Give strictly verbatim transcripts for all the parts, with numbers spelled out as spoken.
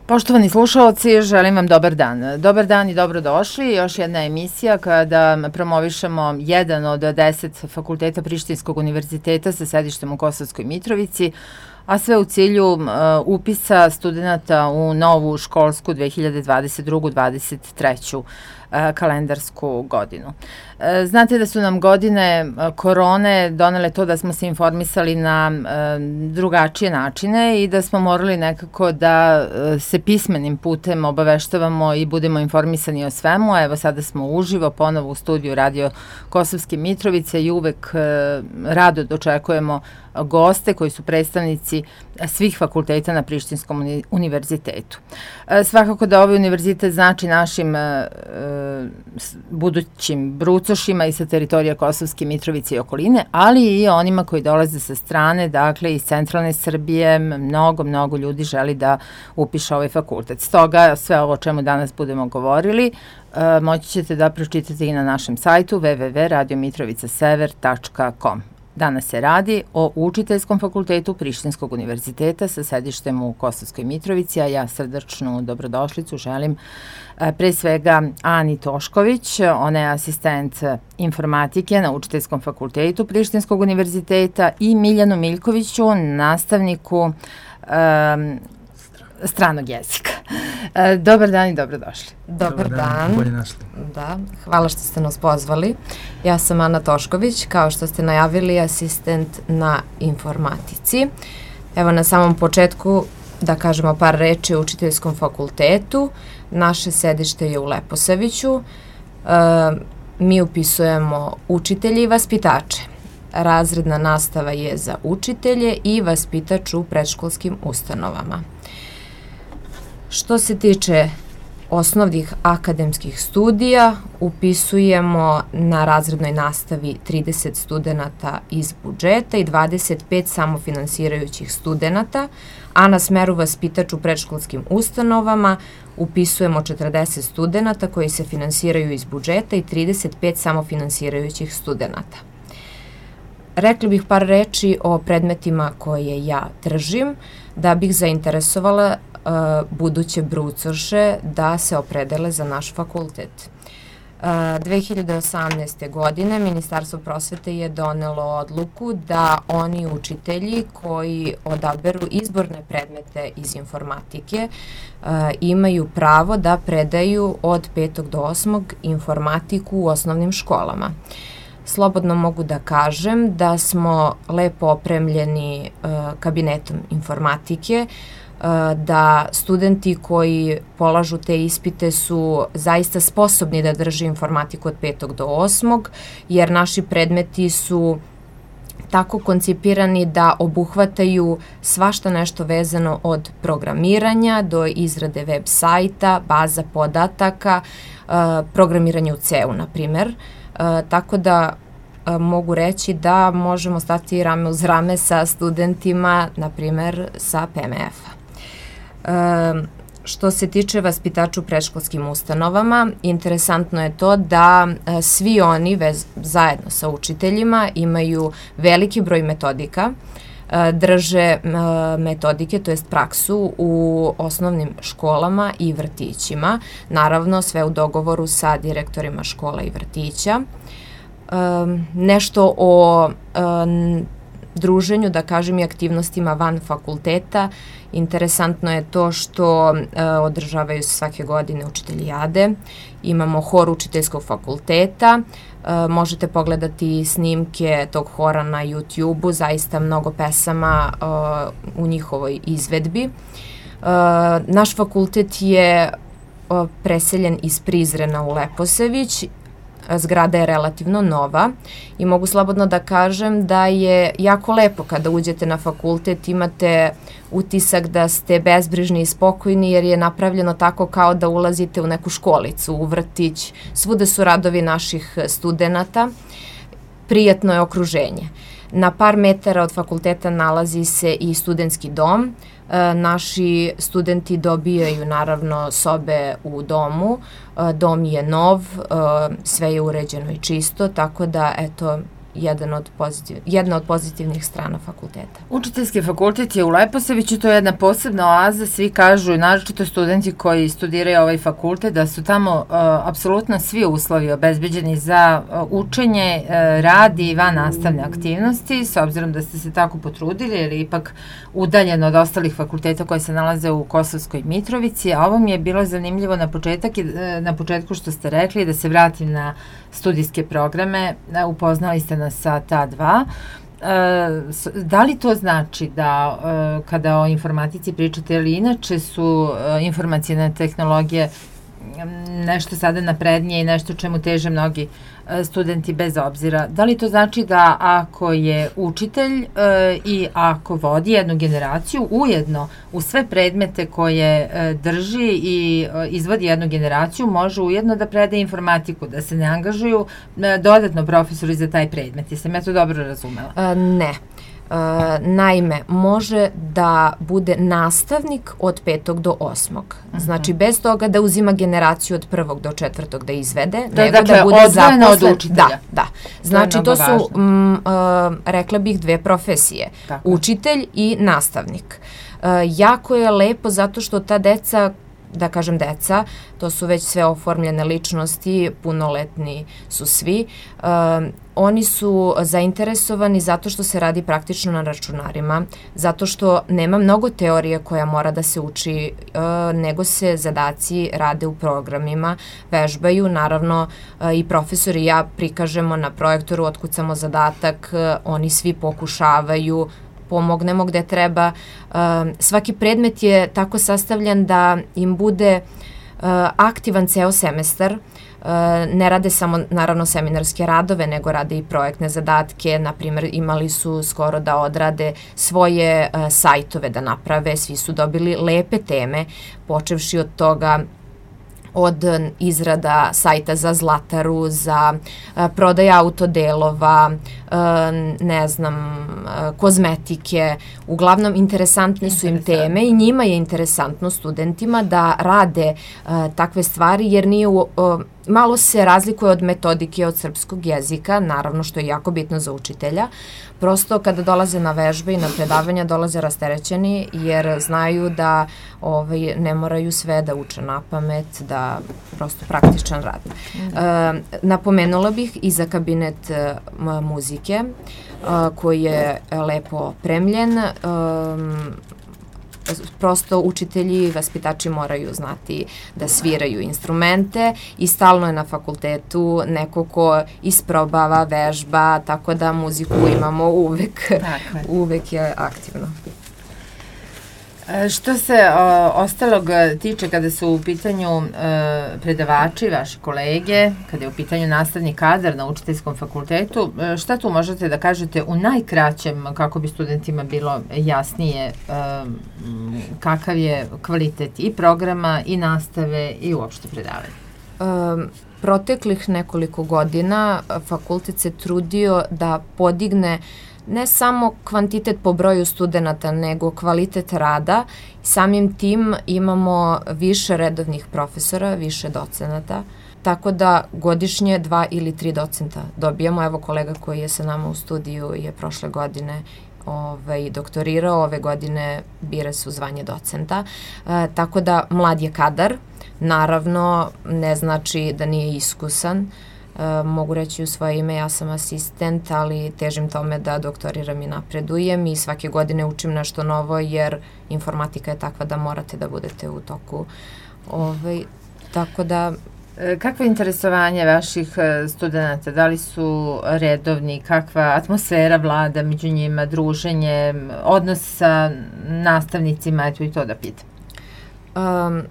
Poštovani slušalci, želim vam dobar dan. Dobar dan i dobrodošli. Još jedna emisija kada promovišemo jedan od deset fakulteta Prištinskog univerziteta sa sedištem u Kosovskoj Mitrovici, a sve u cilju uh, upisa studenta u novu školsku dve hiljade dvadeset drugu dvadeset treću uh, kalendarsku godinu. Uh, znate da su nam godine uh, korone donele to da smo se informisali na uh, drugačije načine i da smo morali nekako da uh, se pismenim putem obaveštavamo i budemo informisani o svemu. Evo sada smo uživo ponovo u studiju Radio Kosovske Mitrovice i uvek uh, rado dočekujemo goste koji su predstavnici svih fakulteta na Prištinskom uni univerzitetu. E, svakako da ovaj univerzitet znači našim e, budućim brucošima i sa teritorija Kosovske Mitrovice i okoline, ali i onima koji dolaze sa strane, dakle iz centralne Srbije, mnogo, mnogo ljudi želi da upiše ovaj fakultet. Stoga sve ovo o čemu danas budemo govorili e, moći ćete da pročitate i na našem sajtu w w w tačka radio mitrovica sever tačka com. Danas se radi o Učiteljskom fakultetu Prištinskog univerziteta sa sedištem u Kosovskoj Mitrovici, a ja srdačnu dobrodošlicu želim pre svega Ani Tošković, ona je asistent informatike na Učiteljskom fakultetu Prištinskog univerziteta, i Miljanu Miljkoviću, nastavniku um, stranog jezika. Dobar dan i dobrodošli. Dobar dan. Bolje našli. Da, hvala što ste nas pozvali. Ja sam Ana Tošković, kao što ste najavili, asistent na informatici. Evo na samom početku da kažemo par reči o Učiteljskom fakultetu. Naše sedište je u Leposaviću. E, mi upisujemo učitelje i vaspitače. Razredna nastava je za učitelje i vaspitač u predškolskim ustanovama. Što se tiče osnovnih akademskih studija, upisujemo na razrednoj nastavi trideset studenata iz budžeta i dvadeset pet samofinansirajućih studenata, a na smeru vaspitač u predškolskim ustanovama upisujemo četrdeset studenata koji se finansiraju iz budžeta i trideset pet samofinansirajućih studenata. Rekli bih par reči o predmetima koje ja držim, da bih zainteresovala uh, buduće brucoše da se opredele za naš fakultet. Uh, dve hiljade osamnaeste. godine Ministarstvo prosvete je donelo odluku da oni učitelji koji odaberu izborne predmete iz informatike uh, imaju pravo da predaju od petog do osmog informatiku u osnovnim školama. Slobodno mogu da kažem da smo lepo opremljeni uh, kabinetom informatike, uh, da studenti koji polažu te ispite su zaista sposobni da drže informatiku od petog do osmog, jer naši predmeti su tako koncipirani da obuhvataju svašta nešto vezano od programiranja do izrade web sajta, baza podataka, uh, programiranja u C E U, na primer. Uh, tako da uh, mogu reći da možemo stati rame uz rame sa studentima, na primjer sa P M F-a. Uh, što se tiče vaspitača u predškolskim ustanovama, interesantno je to da uh, svi oni vez, zajedno sa učiteljima imaju veliki broj metodika, uh, drže uh, metodike, to jest praksu u osnovnim školama i vrtićima, naravno sve u dogovoru sa direktorima škola i vrtića. Um, nešto o um, druženju, da kažem, i aktivnostima van fakulteta. Interesantno je to što uh, održavaju svake godine učiteljade. Imamo hor Učiteljskog fakulteta. Uh, možete pogledati snimke tog hora na YouTube-u, zaista mnogo pesama uh, u njihovoj izvedbi. Uh, naš fakultet je uh, preseljen iz Prizrena u Leposavić. Zgrada je relativno nova i mogu slobodno da kažem da je jako lepo kada uđete na fakultet, imate utisak da ste bezbrižni i spokojni jer je napravljeno tako kao da ulazite u neku školicu, u vrtić, svuda su radovi naših studenata, prijatno je okruženje. Na par metara od fakulteta nalazi se i studentski dom. E, naši studenti dobijaju naravno sobe u domu. E, dom je nov, e, sve je uređeno i čisto, tako da eto, jedan od pozitiv, jedna od pozitivnih strana fakulteta. Učiteljski fakultet je u Leposaviću, to je jedna posebna oaza, svi kažu, naročito studenti koji studiraju ovaj fakultet, da su tamo uh, apsolutno svi uslovi obezbeđeni za uh, učenje, uh, rad i van nastavne aktivnosti, s obzirom da ste se tako potrudili, jer je ipak udaljeno od ostalih fakulteta koji se nalaze u Kosovskoj Mitrovici, a ovo mi je bilo zanimljivo na, početak, na početku što ste rekli, da se vratim na studijske programe, upoznali ste nas sa ta dva. Da li to znači da kada o informatici pričate, ili inače su informacijne tehnologije nešto sada naprednije i nešto čemu teže mnogi studenti bez obzira. Da li to znači da ako je učitelj e, i ako vodi jednu generaciju, ujedno u sve predmete koje e, drži i e, izvodi jednu generaciju, može ujedno da predaje informatiku, da se ne angažuju e, dodatno profesori za taj predmet? Jesam ja to dobro razumela? A, ne. Uh, naime, može da bude nastavnik od petog do osmog. Uh-huh. Znači, bez toga da uzima generaciju od prvog do četvrtog da izvede, to nego dakle, da bude zaposlen. Od učitelja. Da, da. Znači, to, to su, m, uh, rekla bih, dve profesije. Tako. Učitelj i nastavnik. Uh, jako je lepo zato što ta deca, da kažem deca, to su već sve oformljene ličnosti, punoletni su svi. Uh, oni su zainteresovani zato što se radi praktično na računarima, zato što nema mnogo teorije koja mora da se uči, uh, nego se zadaci rade u programima, vežbaju, naravno uh, i profesori i ja prikažemo na projektoru, otkucamo zadatak, uh, oni svi pokušavaju, pomognemo gde treba. Uh, svaki predmet je tako sastavljen da im bude uh, aktivan ceo semestar. Uh, ne rade samo, naravno, seminarske radove, nego rade i projektne zadatke. Naprimjer, imali su skoro da odrade svoje uh, sajtove da naprave. Svi su dobili lepe teme, počevši od toga od izrada sajta za Zlataru, za a, prodaj autodelova, a, ne znam, a, kozmetike. Uglavnom, interesantne su im teme i njima je interesantno studentima da rade a, takve stvari, jer nije u, a, malo se razlikuje od metodike od srpskog jezika, naravno što je jako bitno za učitelja. Prosto kada dolaze na vežbe i na predavanja dolaze rasterećeni jer znaju da ovaj, ne moraju sve da uče na pamet, da prosto praktičan rad. Mm. E, napomenula bih i za kabinet e, muzike e, koji je lepo opremljen. E, prosto učitelji i vaspitači moraju znati da sviraju instrumente i stalno je na fakultetu neko ko isprobava, vežba, tako da muziku imamo uvek, uvek je aktivno. Što se o, ostalog tiče kada su u pitanju e, predavači, vaši kolege, kada je u pitanju nastavni kadar na učiteljskom fakultetu, e, šta tu možete da kažete u najkraćem kako bi studentima bilo jasnije e, kakav je kvalitet i programa i nastave i uopšte predavanja? Um, proteklih nekoliko godina fakultet se trudio da podigne ne samo kvantitet po broju studenta, nego kvalitet rada. Samim tim imamo više redovnih profesora, više docenata, tako da godišnje dva ili tri docenta dobijamo. Evo kolega koji je sa nama u studiju je prošle godine ovaj, doktorirao, ove godine bira se u zvanje docenta, e, tako da mlad je kadar, naravno ne znači da nije iskusan. E, mogu reći u svoje ime, ja sam asistent, ali težim tome da doktoriram i napredujem i svake godine učim nešto novo jer informatika je takva da morate da budete u toku. Ovaj, tako da... Kakvo je interesovanje vaših studenta? Da li su redovni? Kakva atmosfera vlada među njima, druženje, odnos sa nastavnicima? Eto i to da pitam. Um,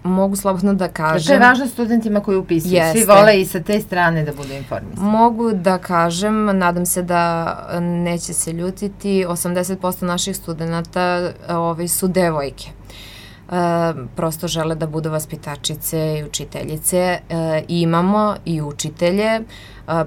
Mogu slobodno da kažem... To je važno studentima koji upisuju. Jeste. Svi vole i sa te strane da budu informisani. Mogu da kažem, nadam se da neće se ljutiti, osamdeset posto naših studenta ovaj, su devojke. E, prosto žele da budu vaspitačice i učiteljice. E, imamo i učitelje. E,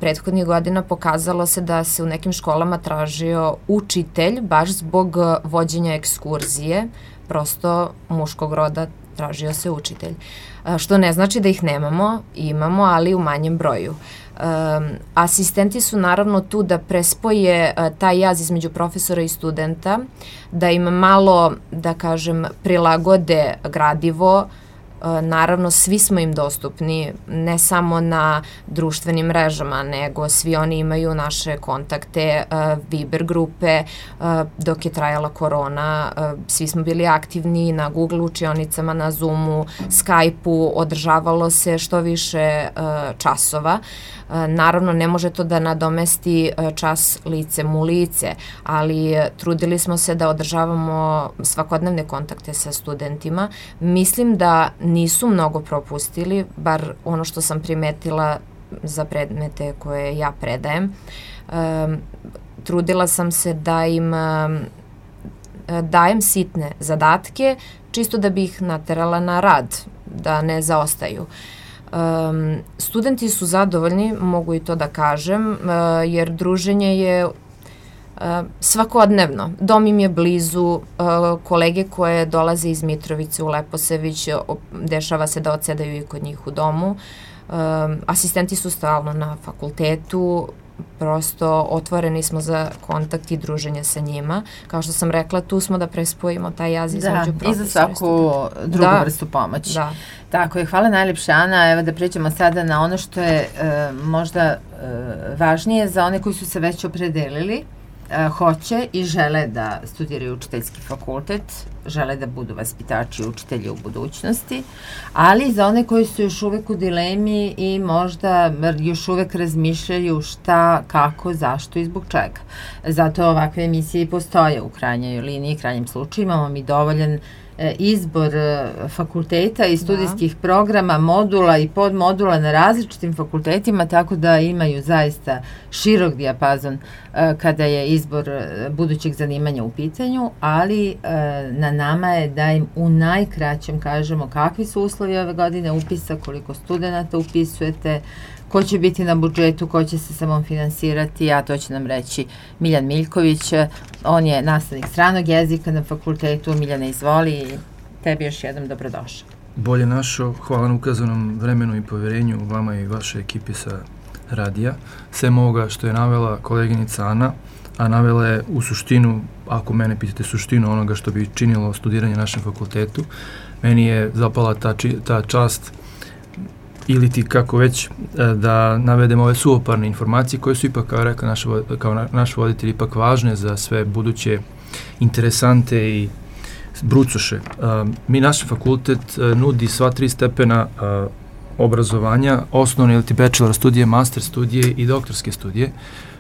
prethodnih godina pokazalo se da se u nekim školama tražio učitelj baš zbog vođenja ekskurzije. prosto muškog roda tražio se učitelj. Što ne znači da ih nemamo, imamo, ali u manjem broju. Um, asistenti su naravno tu da prespoje uh, taj jaz između profesora i studenta, da im malo, da kažem, prilagode gradivo. Naravno, svi smo im dostupni, ne samo na društvenim mrežama, nego svi oni imaju naše kontakte, Viber grupe, dok je trajala korona, svi smo bili aktivni na Google učionicama, na Zoomu, Skype-u, održavalo se što više časova. Naravno, ne može to da nadomesti čas licem u lice, ali trudili smo se da održavamo svakodnevne kontakte sa studentima. Mislim da nisu mnogo propustili, bar ono što sam primetila za predmete koje ja predajem. Um, trudila sam se da im um, dajem sitne zadatke, čisto da bi ih naterala na rad, da ne zaostaju. Um, studenti su zadovoljni, mogu i to da kažem, uh, jer druženje je Uh, svakodnevno. Dom im je blizu, uh, kolege koje dolaze iz Mitrovice u Leposavić, dešava se da odsedaju i kod njih u domu. Uh, asistenti su stalno na fakultetu, prosto otvoreni smo za kontakt i druženje sa njima. Kao što sam rekla, tu smo da prespojimo taj jaz između profesora i studenta. Da, i za svaku drugu da, vrstu pomoći. Da. Tako je, hvala najljepše, Ana. Evo da pređemo sada na ono što je e, možda e, važnije za one koji su se već opredelili, e, hoće i žele da studiraju učiteljski fakultet, žele da budu vaspitači i učitelji u budućnosti, ali za one koji su još uvek u dilemi i možda još uvek razmišljaju šta, kako, zašto i zbog čega. Zato ovakve emisije i postoje u krajnjoj liniji, krajnjem slučaju. Imamo mi dovoljan izbor fakulteta i studijskih da. programa, modula i podmodula na različitim fakultetima, tako da imaju zaista širok dijapazon kada je izbor budućeg zanimanja u pitanju, ali na nama je da im u najkraćem kažemo kakvi su uslovi ove godine upisa, koliko studenta upisujete, ko će biti na budžetu, ko će se samofinansirati, a to će nam reći Miljan Miljković. On je nastavnik stranog jezika na fakultetu. Miljane, izvoli i tebi još jednom dobrodošao. Bolje našo, hvala na ukazanom vremenu i poverenju vama i vaše ekipi sa radija. Sem ovoga što je navela koleginica Ana, a navela je u suštinu, ako mene pitate suštinu onoga što bi činilo studiranje na našem fakultetu, meni je zapala ta, či, ta čast ili ti kako već da navedemo ove suvoparne informacije koje su ipak, kao rekao naš, kao na, naš voditelj, ipak važne za sve buduće interesante i brucoše. Uh, mi, naš fakultet uh, nudi sva tri stepena uh, obrazovanja, osnovne ili ti bachelor studije, master studije i doktorske studije.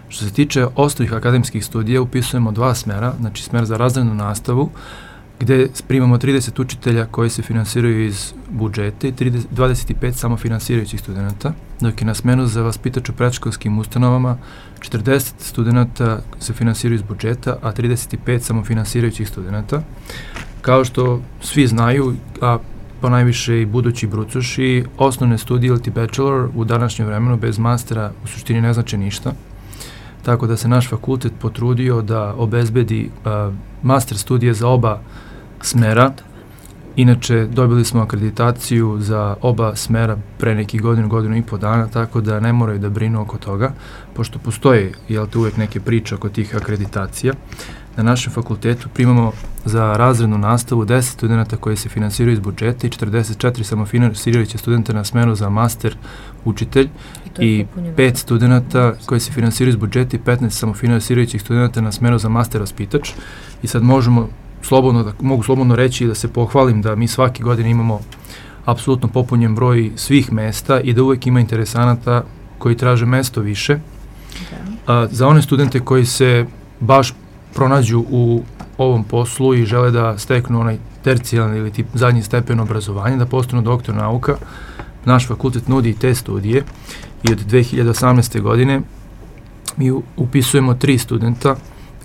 Što se tiče osnovnih akademskih studija, upisujemo dva smera, znači smer za razrednu nastavu, gde primamo trideset učitelja koji se finansiraju iz budžeta i dvadeset pet samofinansirajućih studenta, dok je na smenu za vaspitač u predškolskim ustanovama četrdeset studenta se finansiraju iz budžeta, a trideset pet samofinansirajućih studenta. Kao što svi znaju, a ponajviše i budući brucoši, osnovne studije ili ti bachelor u današnjem vremenu bez mastera u suštini ne znači ništa. Tako da se naš fakultet potrudio da obezbedi uh, master studije za oba smera. Inače, dobili smo akreditaciju za oba smera pre nekih godinu, godinu i po dana, tako da ne moraju da brinu oko toga, pošto postoje, jel te, uvek neke priče oko tih akreditacija. Na našem fakultetu primamo za razrednu nastavu deset studenta koji se finansiraju iz budžeta i četrdeset četiri samofinansirajuće studenta na smeru za master učitelj i, i pet studenta koji se finansiraju iz budžeta i petnaest samofinansirajućih studenta na smeru za master vaspitač. I sad možemo slobodno, da, mogu slobodno reći da se pohvalim da mi svake godine imamo apsolutno popunjen broj svih mesta i da uvek ima interesanata koji traže mesto više. Okay. A, za one studente koji se baš pronađu u ovom poslu i žele da steknu onaj tercijalni ili tip zadnji stepen obrazovanja, da postanu doktor nauka, naš fakultet nudi te studije i od dve hiljade osamnaeste. godine mi upisujemo tri studenta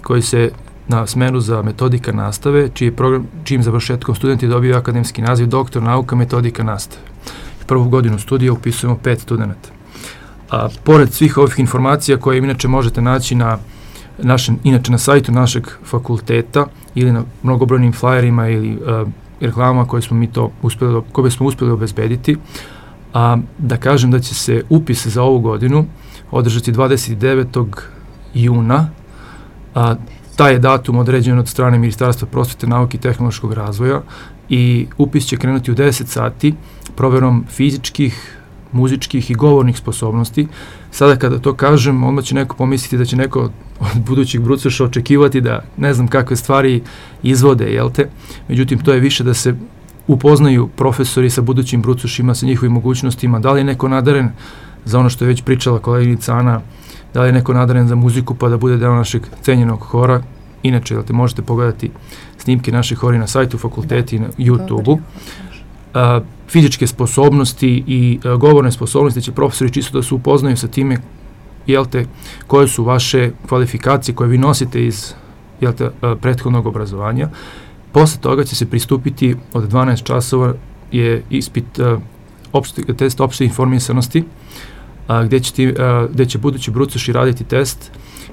koji se na smeru za metodika nastave, čiji program, čijim završetkom studenti dobiju akademski naziv doktor nauka metodika nastave. Prvu godinu studija upisujemo pet studenta. A pored svih ovih informacija koje inače možete naći na našem, inače na sajtu našeg fakulteta, ili na mnogobrojnim flyerima ili uh, reklamama koje smo mi to uspjeli, koje smo uspjeli obezbediti. A, da kažem da će se upis za ovu godinu održati dvadeset devetog juna. A, taj je datum određen od strane Ministarstva prosvete, nauke i tehnološkog razvoja i upis će krenuti u deset sati proverom fizičkih, muzičkih i govornih sposobnosti. Sada kada to kažem, onda će neko pomisliti da će neko od budućih brucoša očekivati da ne znam kakve stvari izvode, jel te? Međutim, to je više da se upoznaju profesori sa budućim brucošima, sa njihovim mogućnostima, da li je neko nadaren za ono što je već pričala koleginica Ana, da li je neko nadaren za muziku pa da bude deo našeg cenjenog hora. Inače, jel te, možete pogledati snimke naših hori na sajtu fakulteti i na YouTube-u. Uh, fizičke sposobnosti i uh, govorne sposobnosti će profesori čisto da se upoznaju sa time, jel te, koje su vaše kvalifikacije koje vi nosite iz, jel te, uh, prethodnog obrazovanja. Posle toga će se pristupiti od dvanaest časova je ispit uh, opšte, test opšte informisanosti, uh, gde, će ti, uh, gde će budući brucoši raditi test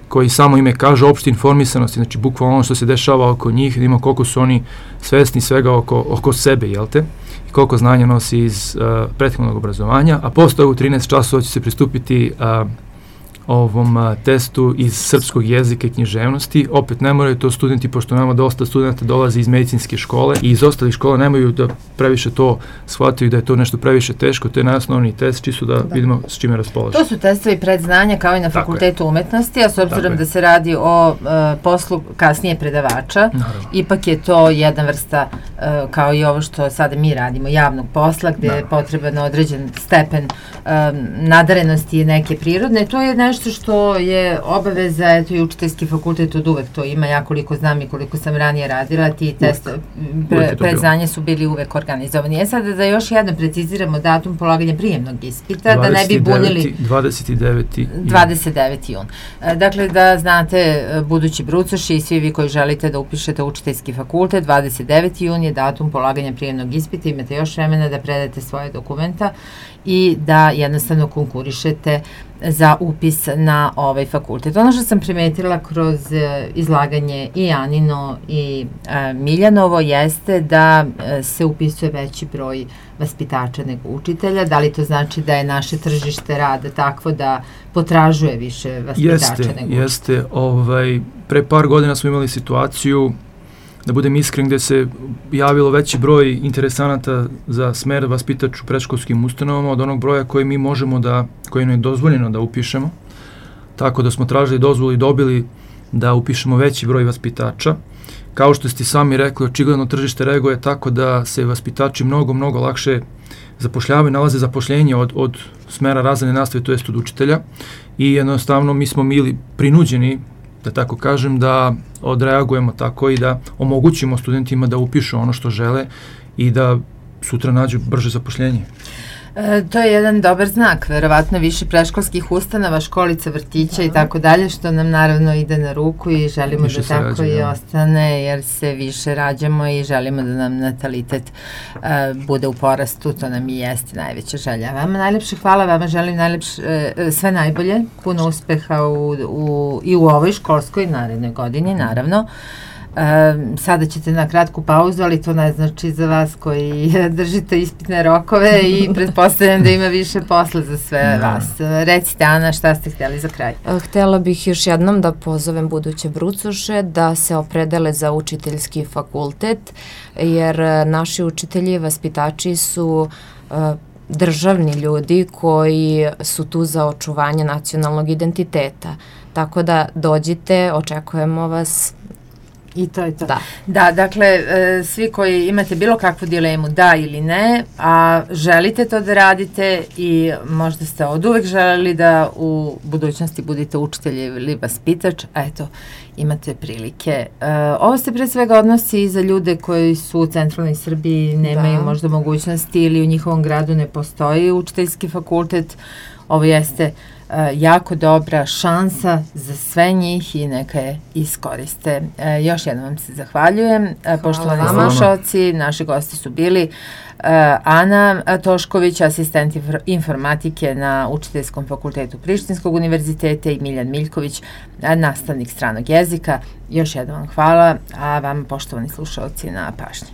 koji samo ime kaže opšte informisanosti, znači bukvalno ono što se dešava oko njih, da ima koliko su oni svesni svega oko, oko sebe, jel te? I koliko znanja nosi iz uh, prethodnog obrazovanja, a posle toga u trinaest časova će se pristupiti uh, ovom uh, testu iz srpskog jezika i književnosti. Opet ne moraju to studenti, pošto nama dosta studenta dolazi iz medicinske škole i iz ostalih škola, nemaju da previše to shvataju da je to nešto previše teško, to je najosnovniji test, čisto da, da vidimo s čime raspolažemo. To su testovi predznanja kao i na Fakultetu umetnosti, a s obzirom da se radi o uh, poslu kasnije predavača, naravno, ipak je to jedna vrsta, uh, kao i ovo što sada mi radimo, javnog posla, gde naravno je potreban određen stepen um, nadarenosti neke prirodne. To je nešto što je obaveza, eto i učiteljski fakultet od uvek to ima, ja koliko znam i koliko sam ranije radila, ti test pre, predznanja su bili uvek organizovani. E sada da još jedno preciziramo datum polaganja prijemnog ispita, da ne bi bunili... dvadeset deveti dvadeset deveti jun. Dakle, da znate, budući brucoši i svi vi koji želite da upišete učiteljski fakultet, dvadeset deveti jun je datum polaganja prijemnog ispita, imate još vremena da predate svoje dokumenta i da jednostavno konkurišete za upis na ovaj fakultet. Ono što sam primetila kroz izlaganje i Anino i e, Miljanovo jeste da e, se upisuje veći broj vaspitača nego učitelja. Da li to znači da je naše tržište rada takvo da potražuje više vaspitača jeste, nego učitelja? Jeste, ovaj, pre par godina smo imali situaciju, da budem iskren, gde se javilo veći broj interesanata za smer vaspitač u predškolskim ustanovama od onog broja koji mi možemo da, koji nam je dozvoljeno da upišemo. Tako da smo tražili dozvolu i dobili da upišemo veći broj vaspitača. Kao što ste sami rekli, očigledno tržište reaguje tako da se vaspitači mnogo, mnogo lakše zapošljavaju, nalaze zapošljenje od, od smera razredne nastave, to jest od učitelja. I jednostavno mi smo bili prinuđeni, da tako kažem, da odreagujemo tako i da omogućimo studentima da upišu ono što žele i da sutra nađu brže zapošljenje. E, to je jedan dobar znak, verovatno više predškolskih ustanova, školica, vrtića i tako dalje, što nam naravno ide na ruku i želimo više da tako rađe, i ja. ostane, jer se više rađamo i želimo da nam natalitet uh, bude u porastu, to nam i jeste najveća želja. Vama najlepše hvala, vama želim najlepše, uh, sve najbolje, puno uspeha u, u, i u ovoj školskoj narednoj godini, naravno. Um, sada ćete na kratku pauzu, ali to ne znači za vas koji držite ispitne rokove i pretpostavljam da ima više posla za sve vas. Recite, Ana, šta ste htjeli za kraj? Htjela bih još jednom da pozovem buduće brucoše da se opredele za učiteljski fakultet, jer naši učitelji i vaspitači su uh, državni ljudi koji su tu za očuvanje nacionalnog identiteta. Tako da dođite, očekujemo vas. I to je to. Da. Da, dakle, e, svi koji imate bilo kakvu dilemu, da ili ne, a želite to da radite i možda ste od uvek želeli da u budućnosti budete učitelj ili vaspitač, a eto, imate prilike. E, ovo se pre svega odnosi i za ljude koji su u centralnoj Srbiji, nemaju da. možda mogućnosti ili u njihovom gradu ne postoji učiteljski fakultet. Ovo jeste jako dobra šansa za sve njih i neka je iskoriste. Još jednom vam se zahvaljujem. Hvala. Poštovani slušalci, naši gosti su bili Ana Tošković, asistent informatike na Učiteljskom fakultetu Prištinskog univerziteta i Miljan Miljković, nastavnik stranog jezika. Još jednom vam hvala, a vam, poštovani slušalci, na pažnji.